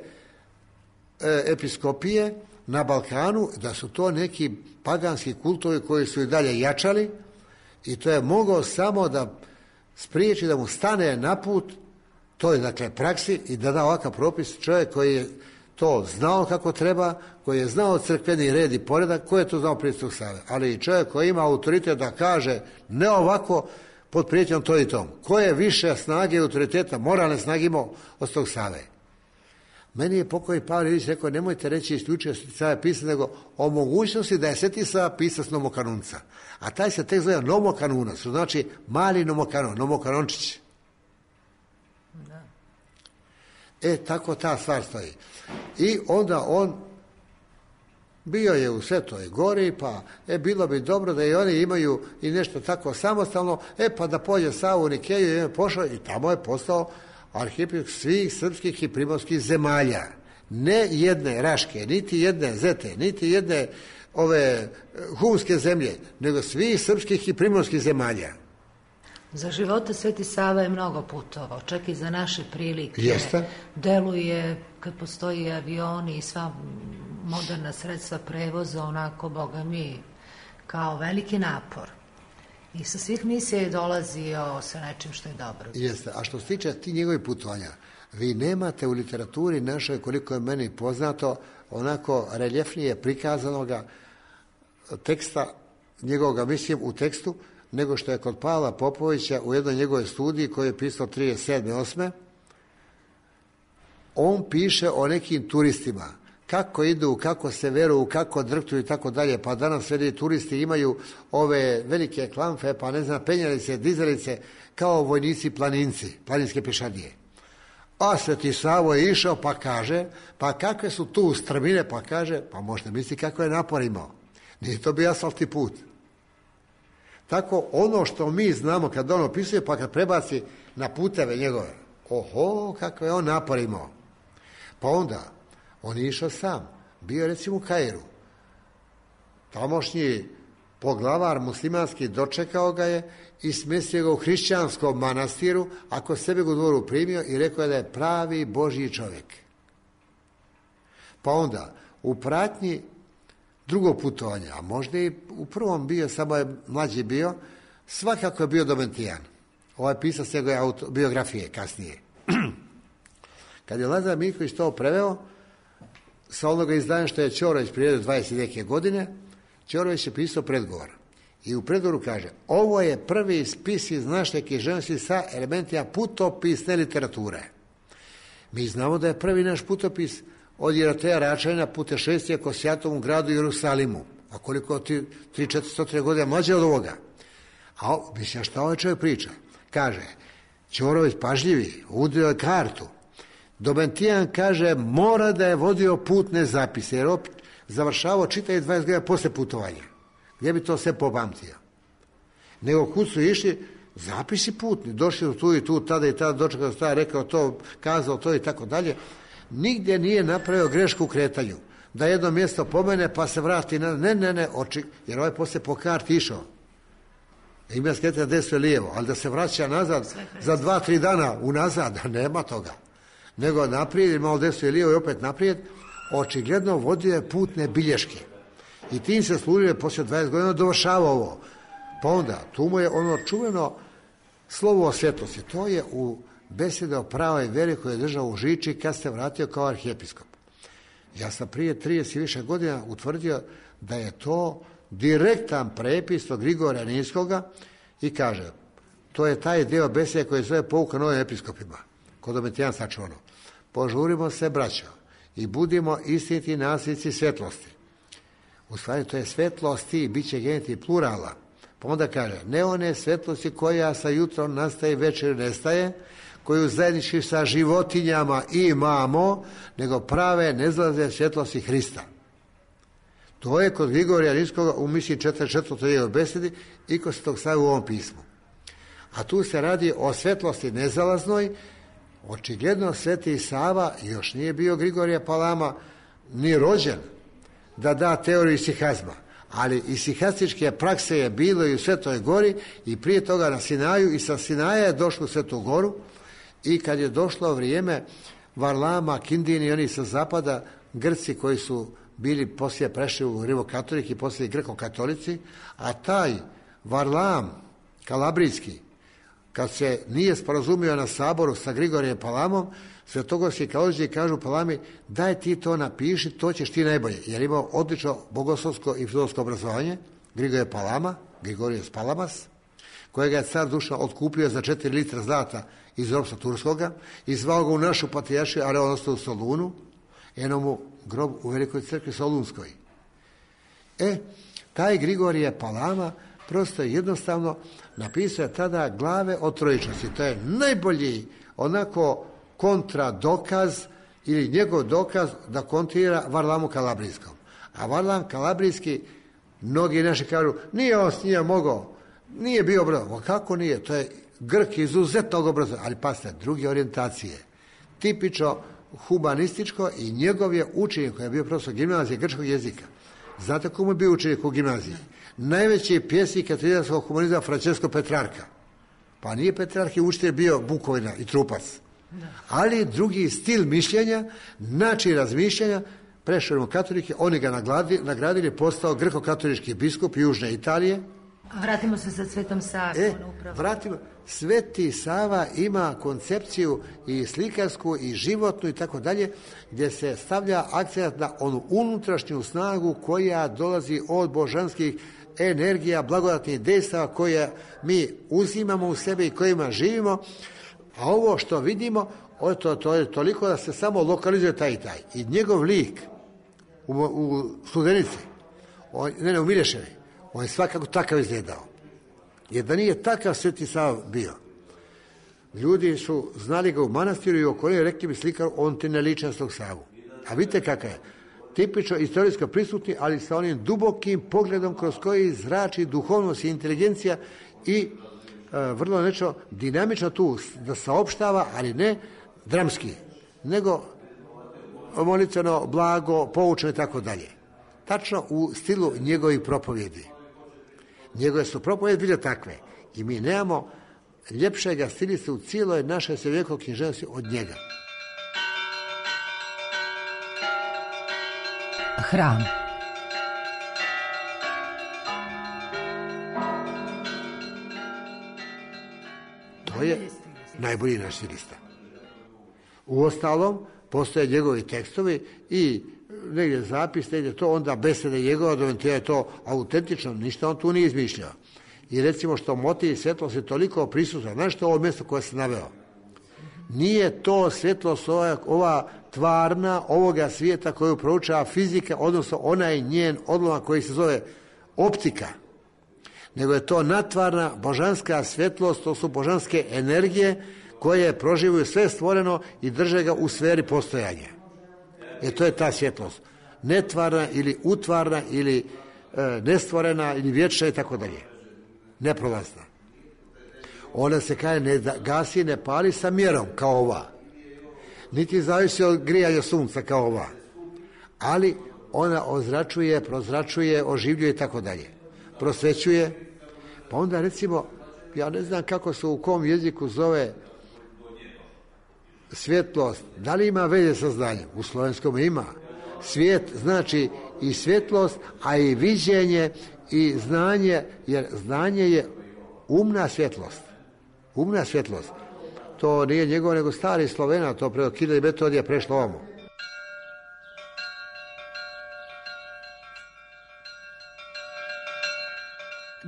episkopije na Balkanu, da su to neki paganski kultovi koji su i dalje jačali i to je mogao samo da spriječi da mu stane na put toj, dakle, praksi i da da ovakav propis čovjek koji je to znao kako treba, koji je znao crkveni red i poredak, koji je to znao prije Svetog Save, ali i čovjek koji ima autoritet da kaže ne ovako pod prijetnjom to i tom. Ko je više snage i autoriteta, moralne snage imao od Svetog Save? Meni je pokojni Pavle Ilić rekao, nemojte reći isključivo Sveti Sava pisao, nego o mogućnosti da je Sveti Sava pisac nomokanunca. A taj se tek zove nomokanunac, što znači mali nomokanon, nomokanončić. Tako ta stvar stoji. I onda on bio je u Svetoj Gori, pa bilo bi dobro da i oni imaju i nešto tako samostalno, pa da pođe Savu u Nikeju i je pošao i tamo je postao arhijepiskop svih srpskih i primorskih zemalja. Ne jedne Raške, niti jedne Zete, niti jedne ove humske zemlje, nego svih srpskih i primorskih zemalja. Za života Sveti Sava je mnogo putovao, čak i za naše prilike. Jeste. Deluje, kad postoji avioni i sva moderna sredstva prevoza, onako, Boga mi, kao veliki napor. I sa svih misija je dolazio sa nečim što je dobro. Jeste, a što se tiče ti njegovih putovanja, vi nemate u literaturi našoj, koliko je meni poznato, onako reljefnije prikazanoga teksta, njegovoga, mislim, u tekstu, nego što je kod Pavla Popovića u jednoj njegovoj studiji koju je pisao 37. On piše o nekim turistima, kako idu, kako se veruju, kako drhtuju i tako dalje, pa danas sve turisti imaju ove velike klamfe, pa ne znam, penjalice, dizalice, kao vojnici planinci, planinske pješadije. A Sveti Savo je išao pa kaže, pa kakve su tu strmine, pa kaže, pa možete misliti kako je napor imao. Nije to bio asfaltni put. Tako ono što mi znamo kad on opisuje, pa kad prebaci na puteve njegove, oho, kako je on napor imao. Pa onda, on je išao sam, bio recimo u Kairu. Tamošnji poglavar muslimanski dočekao ga je i smjestio ga u hrišćanskom manastiru, a kod sebe ga u dvoru primio i rekao je da je pravi Božji čovjek. Pa onda, u pratnji drugog putovanja, a možda i u prvom bio, samo je mlađi bio, svakako je bio Domitijan. Ovaj pisac njegove biografije kasnije. Kad je Lazar Miljković to preveo, sa onoga izdanja što je Ćorović priredio 20 neke godine, Ćorović je pisao predgovor. I u predgovoru kaže, ovo je prvi spis iz naše književnosti sa elementima putopisne literature. Mi znamo da je prvi naš putopis od Jeroteja Račanina putešestvija ko Sjatovom gradu Jerusalimu. A koliko 300-400 godina mlađe od ovoga. A mislim, šta ovaj čovjek priča? Kaže, Ćorović pažljivi, udio je kartu. Domitijan kaže, mora da je vodio putne zapise, jer završavao čitaje 20 godina posle putovanja. Gdje bi to sve popamtio? Nego kud su išli, zapisi putni, došli tu i tu, tada i tada, dočekao sta, rekao to, kazao to i tako dalje. Nigdje nije napravio grešku u kretanju. Da jedno mjesto pomene pa se vrati na... Ne, jer ovaj poslije po karti išao. Ima skretanja desno i lijevo, ali da se vraća nazad za 2-3 dana unazad, nema toga. Nego naprijed, malo desno i lijevo i opet naprijed, očigledno vodio je putne bilješke. I tim se služio poslije 20 godina dovršava ovo. Pa onda, tu mu je ono čuveno slovo o svjetlosti. To je u besede o pravoj veri koju je držao u Žiči kad se vratio kao arhijepiskop. Ja sam prije 30 i više godina utvrdio da je to direktan prepis od Grigorija Ninskoga i kaže, to je taj dio besede koji se zove pouka novim episkopima. Kod Domitijan sačuvano. Požurimo se, braćo, i budimo istiniti nasljednici svjetlosti. U stvari, to je svjetlosti, bit će geneti plurala. Pa onda kaže, ne one svjetlosti koja sa jutrom nastaje i večer nestaje, koju zajednički sa životinjama imamo, nego prave nezlaze svjetlosti Hrista. To je kod Grigorija Ninskoga u misiji 44. njegove besedi i kod Svetog Save u ovom pismu. A tu se radi o svjetlosti nezalaznoj. Očigledno Sveti Sava još nije bio Grigorija Palama ni rođen da da teoriju isihazma, ali isihastičke prakse je bilo i u Svetoj Gori i prije toga na Sinaju i sa Sinaja je došlo u Svetu Goru i kad je došlo vrijeme Varlama, Kindini i oni sa zapada, Grci koji su bili poslije prešli u Rimokatolik i poslije Greko-katolici, a taj Varlam kalabrijski kad se nije sporazumio na saboru sa Grigorijem Palamom, svetogorski teolozi kažu Palami, daj ti to napiši, to ćeš ti najbolje, jer imao odlično bogoslovsko i filozofsko obrazovanje, Grigorije Palama, Grigorijes Palamas, kojega je car Dušan otkupio za 4 litra zlata iz ropstva turskoga i zvao ga u našu patrijaršiju, ali on ostao u Solunu, eno mu grob u Velikoj crkvi Solunskoj. Taj Grigorije Palama prosto jednostavno napisao je tada glave o trojičnosti. To je najbolji onako kontradokaz ili njegov dokaz da kontrira Varlamu Kalabrijskom. A Varlam Kalabrijski, mnogi naši kažu, nije on s njima mogao, nije bio obrazovan. Kako nije? To je Grk izuzetnog obrazovanja, ali pasite, druge orijentacije. Tipično humanističko i njegov je učenik koji je bio profesor gimnazije grčkog jezika. Znate komu je bio učenik u gimnaziji? Najveći pjesnik katoličkog humanizma Francesco Petrarca. Pa nije Petrarca učitelj bio Bukovina i Trupac. Ali drugi stil mišljenja, način razmišljanja, prešao u katolike, oni ga nagradili, postao grko-katolički biskup Južne Italije. Vratimo se sa Svetom Savom. Sveti Sava ima koncepciju i slikarsku i životnu i tako dalje, gdje se stavlja akcent na onu unutrašnju snagu koja dolazi od božanskih energija, blagodatnih dejstava koje mi uzimamo u sebe i kojima živimo, a ovo što vidimo, to je toliko da se samo lokalizuje taj i taj. I njegov lik u Studenici, u Mileševi, on je svakako takav izgledao. Jer da nije takav Sveti Sava bio, ljudi su znali ga u manastiru i okolini, rekli bi slikar, on ti ne liči na Svetog Savu. A vidite kakav je. Tipično istorijsko prisutni, ali sa onim dubokim pogledom kroz koji zrači duhovnost i inteligencija i vrlo nešto dinamično tu da saopštava, ali ne dramski, nego molitveno, blago, poučeno i tako dalje. Tačno u stilu njegovih propovjedi. Njegove su propovjedi bile takve i mi nemamo ljepšega stilista u cijeloj našoj srednjovjekovnoj književnosti od njega. Hram. To je najbolji naš stilista. Uostalom, postoje njegovi tekstovi i negdje zapis, negdje to, onda besede njegova, da je to autentično, ništa on tu nije izmišljao. I recimo što motiv i svjetlost je toliko prisutna. Znaš što ovo mjesto koje sam naveo? Nije to svjetlost ova tvarna ovoga svijeta koju proučava fizika, odnosno onaj njen odlomak koji se zove optika, nego je to natvarna božanska svjetlost, to su božanske energije koje proživuju sve stvoreno i drže ga u sferi postojanja. To je ta svjetlost. Netvarna ili utvarna ili nestvorena ili vječna i tako dalje. Neprolazna. Ona se kaže ne gasi, ne pali sa mjerom kao ova. Niti zavisi od grijanja sunca kao ova. Ali ona ozračuje, prozračuje, oživljuje i tako dalje. Prosvećuje. Pa onda recimo, ja ne znam kako se u kom jeziku zove svjetlost. Da li ima veze sa znanjem? U slovenskom ima. Svijet znači i svjetlost, a i viđenje i znanje, jer znanje je umna svjetlost. Umna svjetlost. To nije njegov, nego stari Slovena, to preko 1000 metodija prešlo ovamo.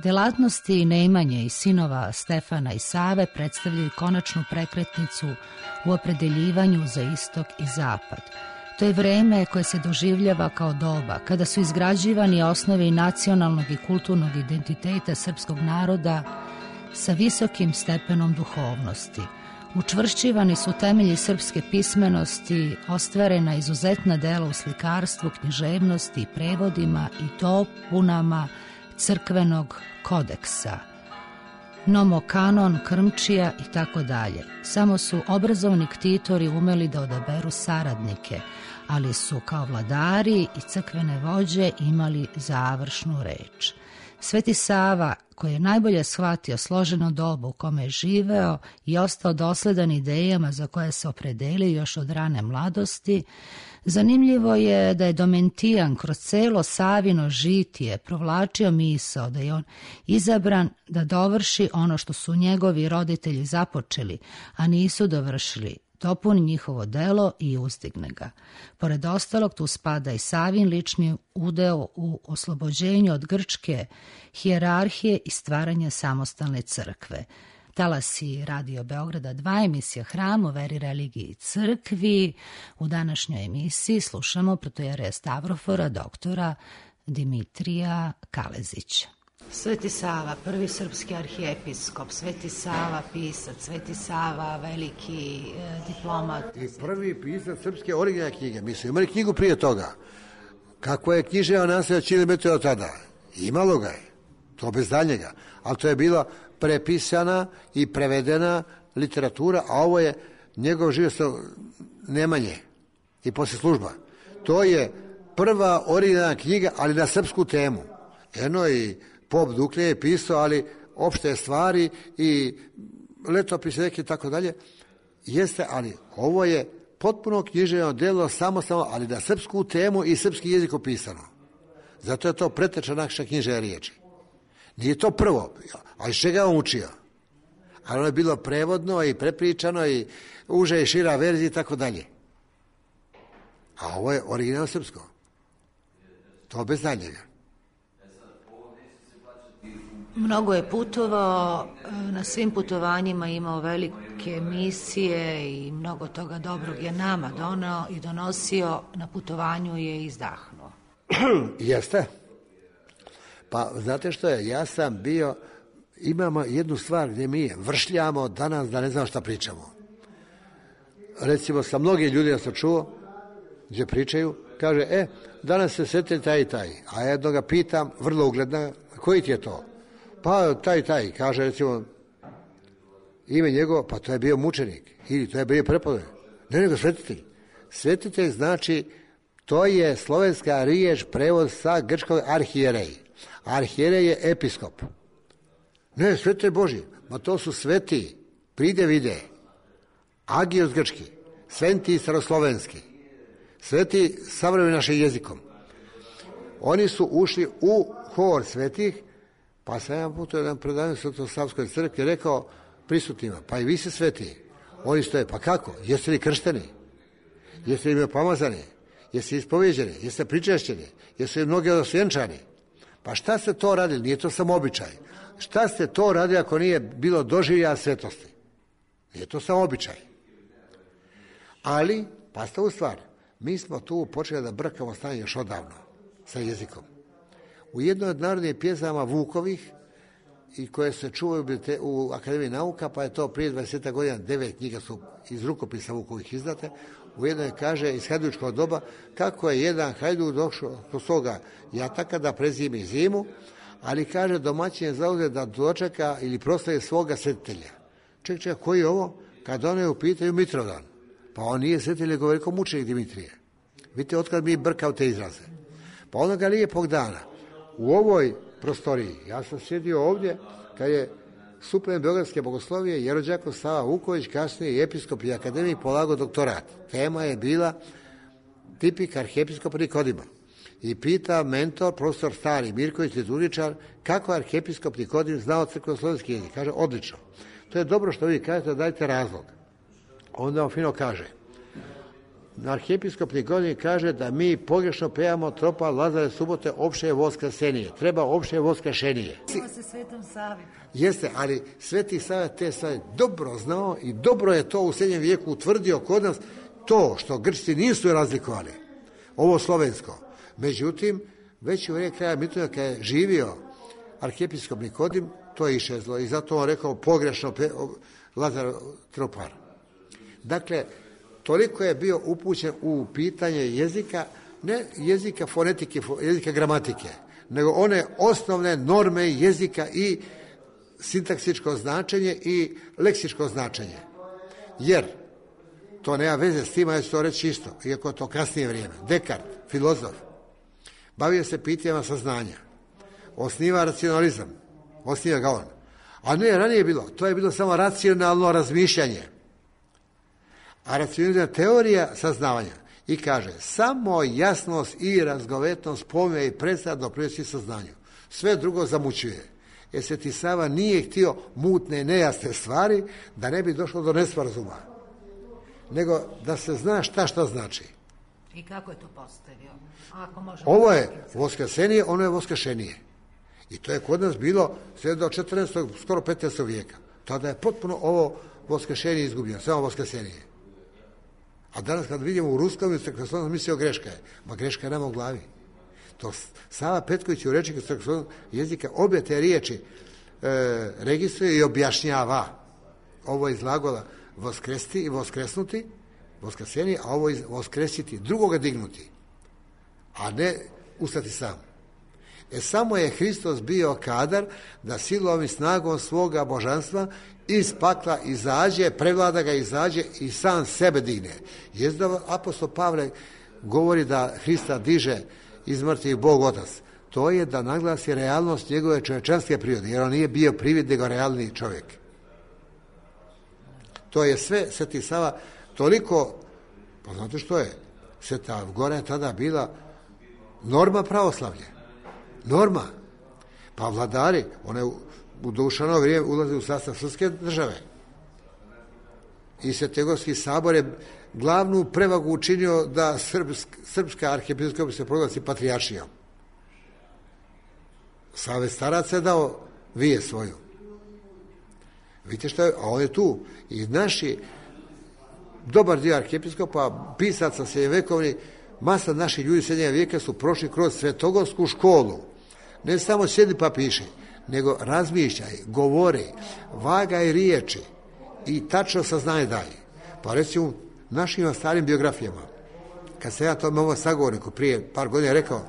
Delatnosti Nemanje i sinova Stefana i Save predstavljaju konačnu prekretnicu u opredeljivanju za istok i zapad. To je vreme koje se doživljava kao doba kada su izgrađivani osnovi nacionalnog i kulturnog identiteta srpskog naroda sa visokim stepenom duhovnosti. Učvršćivani su temelji srpske pismenosti, ostvarena izuzetna dela u slikarstvu, književnosti i prevodima i dopunama crkvenog kodeksa, nomokanon, krmčija i tako dalje. Samo su obrazovni ktitori umeli da odaberu saradnike, ali su kao vladari i crkvene vođe imali završnu reč. Sveti Sava, koji je najbolje shvatio složeno dobu u kome je živeo i ostao dosledan idejama za koje se opredelio još od rane mladosti, zanimljivo je da je Domentijan kroz celo Savino žitije provlačio misao da je on izabran da dovrši ono što su njegovi roditelji započeli, a nisu dovršili, dopuni njihovo delo i uzdigne ga. Pored ostalog, tu spada i Savin lični udeo u oslobođenju od grčke hijerarhije i stvaranje samostalne crkve. Talasi Radio Beograda 2, emisija Hram o veri, religiji i crkvi. U današnjoj emisiji slušamo protojereja Stavrofora, doktora Dimitrija Kalezića. Sveti Sava, prvi srpski arhijepiskop, Sveti Sava pisac, Sveti Sava veliki diplomat. I prvi pisac srpske originalne knjige. Mi smo imali knjigu prije toga. Kako je književa nasljeđa Ćilimetu od tada? Imalo ga je. To bez daljnjega. Ali to je bila prepisana i prevedena literatura, a ovo je njegov život Nemanje i poslije služba. To je prva originalna knjiga, ali na srpsku temu. Eno i Pop Duklje je pisao, ali opšte stvari i letopise neki tako dalje. Jeste, ali ovo je potpuno književno delo, samostalno, ali na srpsku temu i srpski jezik opisano. Zato je to preteča naša književna riječi. Nije to prvo, a iz čega on učio? Ali ono je bilo prevodno i prepričano i uža i šira verzija i tako dalje. A ovo je originalno srpsko. To bez daljnjega. Mnogo je putovao, na svim putovanjima imao velike misije i mnogo toga dobrog je nama doneo i donosio, na putovanju je izdahnuo. Jeste. Pa znate što je, ja sam bio, imamo jednu stvar gdje mi vršljamo danas da ne znam šta pričamo. Recimo sa mnogim ljudima sam čuo gdje pričaju, kaže, danas se sete taj i taj, a jedno ga pitam, vrlo ugledna, koji ti je to? Pa taj, kaže recimo ime njegovo, pa to je bio mučenik ili to je bio prepovednik. Ne, nego svetitelj. Svetitelj znači, to je slovenska riječ, prevod sa grčkog arhijerej. Arhijerej je episkop. Ne, svetitelj Božji, ma to su sveti, pride vide, agios grčki, sveti staroslovenski, sveti savremeni našim jezikom. Oni su ušli u hor svetih. Pa sam jedan put jedan predavanje Svetosavskoj crkvi rekao prisutnima, pa i vi se sveti. Oni stoje, pa kako? Jeste li kršteni? Jeste li pomazani? Jeste li ispovjeđeni? Jeste pričešćeni? Jeste li mnogi osvjenčani? Pa šta ste to radili? Nije to samo običaj. Šta ste to radili ako nije bilo doživljaja svetosti? Nije to samo običaj. Ali, pazite u stvar, mi smo tu počeli da brkamo stanje još odavno sa jezikom. U jednoj od narodnih pjesama Vukovih i koje se čuvaju u Akademiji nauka, pa je to prije 20 godina 9 knjiga su iz rukopisa Vukovih izdate. U jednoj kaže iz hajdučkog doba kako je jedan hajduk došao do svoga jataka da prezimi zimu, ali kaže domaćin je zauzet da dočeka ili proslavi svoga svetitelja. Ček, koji je ovo? Kad one upitaju Mitrovdan. Pa on nije svetitelj, govori kao mučenik Dimitrije. Vidite otkad mi brkao te izraze. Pa onoga lijepog dana u ovoj prostoriji, ja sam sjedio ovdje kad je suplen Beogradske bogoslovije Jerođakov Sava Vuković, kasnije i episkop i akademik, polagao doktorat. Tema je bila tipik arhijepiskopa Nikodima. I pita mentor, profesor Stari Mirković, liturgičar, kako je arhijepiskop Nikodim znao crkveno-slovenski jezik. Kaže, odlično. To je dobro što vi kažete, dajte razlog. Onda on fino kaže, arhijepiskop Nikodim kaže da mi pogrešno pevamo Tropal Lazare subote opšte voskrsenije. Treba opšte voskršenije. Ovo se Svetom Savi. Jeste, ali Sveti Sava te stvari dobro znao i dobro je to u srednjem vijeku utvrdio kod nas to što Grčci nisu razlikovali. Ovo slovensko. Međutim, već u vrijeme kraja Mitrovda kad je živio arhijepiskop Nikodim, to je išezlo i zato on rekao pogrešno Lazar Tropar. Dakle, toliko je bio upućen u pitanje jezika, ne jezika fonetike, jezika gramatike, nego one osnovne norme jezika i sintaksičko značenje i leksičko značenje. Jer to nema veze s tim, ja ću to reći isto, iako je to kasnije vrijeme. Descartes, filozof, bavio se pitanjima saznanja, osniva racionalizam, osniva ga on. A ne, ranije je bilo, to je bilo samo racionalno razmišljanje. A racionalna teorija saznavanja. I kaže, samo jasnost i razgovetnost pojma i predstava doprinosi saznanju. Sve drugo zamućuje. Jer Sveti Sava nije htio mutne, nejasne stvari da ne bi došlo do nesporazuma. Nego da se zna šta znači. I kako je to postavio? Ovo je voskresenije, ono je voskresenije. I to je kod nas bilo sve do 14. skoro 15. vijeka. Tada je potpuno ovo voskresenije izgubljeno, samo voskresenije. A danas kad vidimo u ruskom, mislio greška je. Ma greška je nama u glavi. To Sava Petković u rečniku crkvenog jezika obje te riječi registruje i objašnjava. Ovo je iz glagola voskresti i voskresnuti, voskresenije, a ovo je voskresiti, drugoga dignuti, a ne ustati sam. Samo je Hristos bio kadar da silom i snagom svoga božanstva iz pakla izađe, prevlada ga, izađe i sam sebe digne. Jezda apostol Pavle govori da Hrista diže iz mrtvih Bog Otac. To je da naglasi realnost njegove čovječanske prirode, jer on nije bio privid, nego realni čovjek. To je sve Sveti Sava toliko, pa znate što je? Sveta Gora je tada bila norma pravoslavlje. Norma. Pa vladari, one u Dušanovo vrijeme ulaze u sastav srpske države. I Svetegorski sabor je glavnu prevagu učinio da srpska arhijepiskopija se proglasi patrijaršijom. Savez staraca je dao vije svoju. Vidite što je, a on je tu. I naši, dobar dio arhijepiskopa, pisaca srednjevekovni, masa naših ljudi srednjeg vijeka su prošli kroz svetogorsku školu. Ne samo sjedi pa piši, nego razmišljaj, govori, vagaj riječi i tačno saznanje daje. Pa recimo, našim starim biografijama, kad se ja tome ovo sagovorniku prije par godina rekao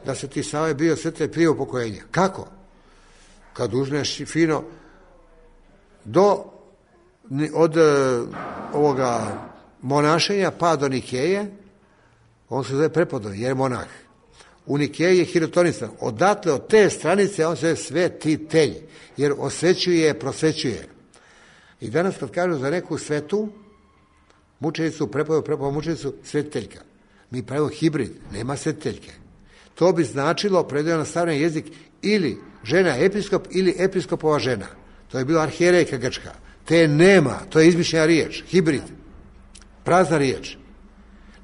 da se ti Sava je bio svete prije upokojenja. Kako? Kad uzmeš fino od ovoga monašenja pa do Nikeje, on se zove prepodobni, jer je monah. U Nikeji je hirotonisan. Odatle, od te stranice, on se zove svetitelj, jer osvećuje, prosvećuje. I danas kad kažu za neku svetu, mučenicu, prepodobnu mučenicu, svetiteljka. Mi pravimo hibrid, nema svetiteljke. To bi značilo, predajeno na savremeni jezik, ili žena episkop, ili episkopova žena. To je bilo arhijerejka grčka. Te nema, to je izmišljena riječ, hibrid, prazna riječ.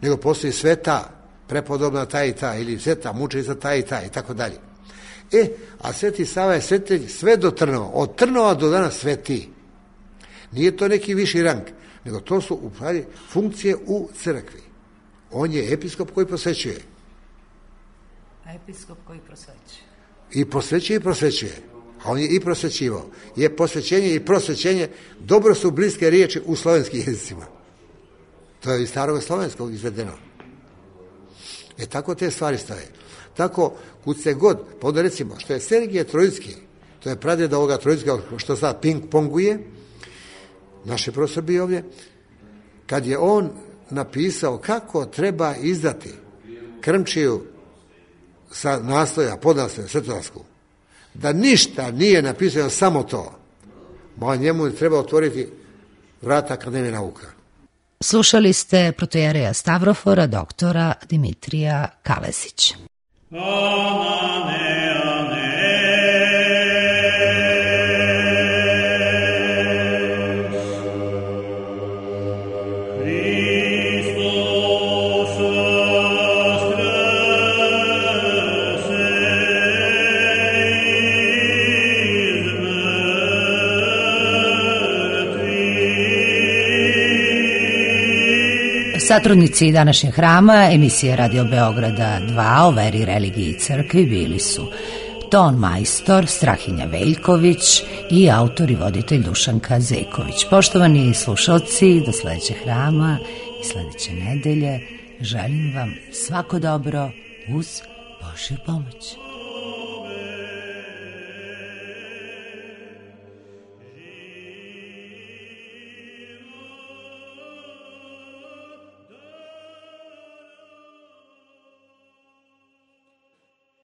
Nego postoji sveta, prepodobna ta i ta, ili sveta, mučenica ta i ta, i tako dalje. A Sveti Sava je svetitelj sve do Trnova, od Trnova do danas sveti. Nije to neki viši rang, nego to su u pravi funkcije u crkvi. On je episkop koji prosvećuje. A episkop koji prosvećuje? I prosvećuje i prosvećuje. A on je i prosvećivao. Je posvećenje i prosvećenje, dobro su bliske riječi u slovenskim jezicima. To je iz starog slovenskog izvedeno. Tako te stvari stoje. Tako, kud se god, pa onda recimo, što je Sergije Trojicki, to je pradjed ovoga Trojicka, što sad ping-ponguje, naš je profesor bio ovdje, kad je on napisao kako treba izdati krmčiju sa nasloja, podnasloja, svetodarsku, da ništa nije napisano, samo to, ma njemu treba otvoriti vrata Akademije nauka. Slušali ste protojereja Stavrofora, doktora Dimitrija Kalezić. Satrudnici današnjeg hrama emisije Radio Beograda 2 o veri, religiji i crkvi bili su ton majstor Strahinja Veljković i autor i voditelj Dušanka Zejković. Poštovani slušalci, do sledećeg hrama i sledeće nedelje želim vam svako dobro uz Božju pomoć.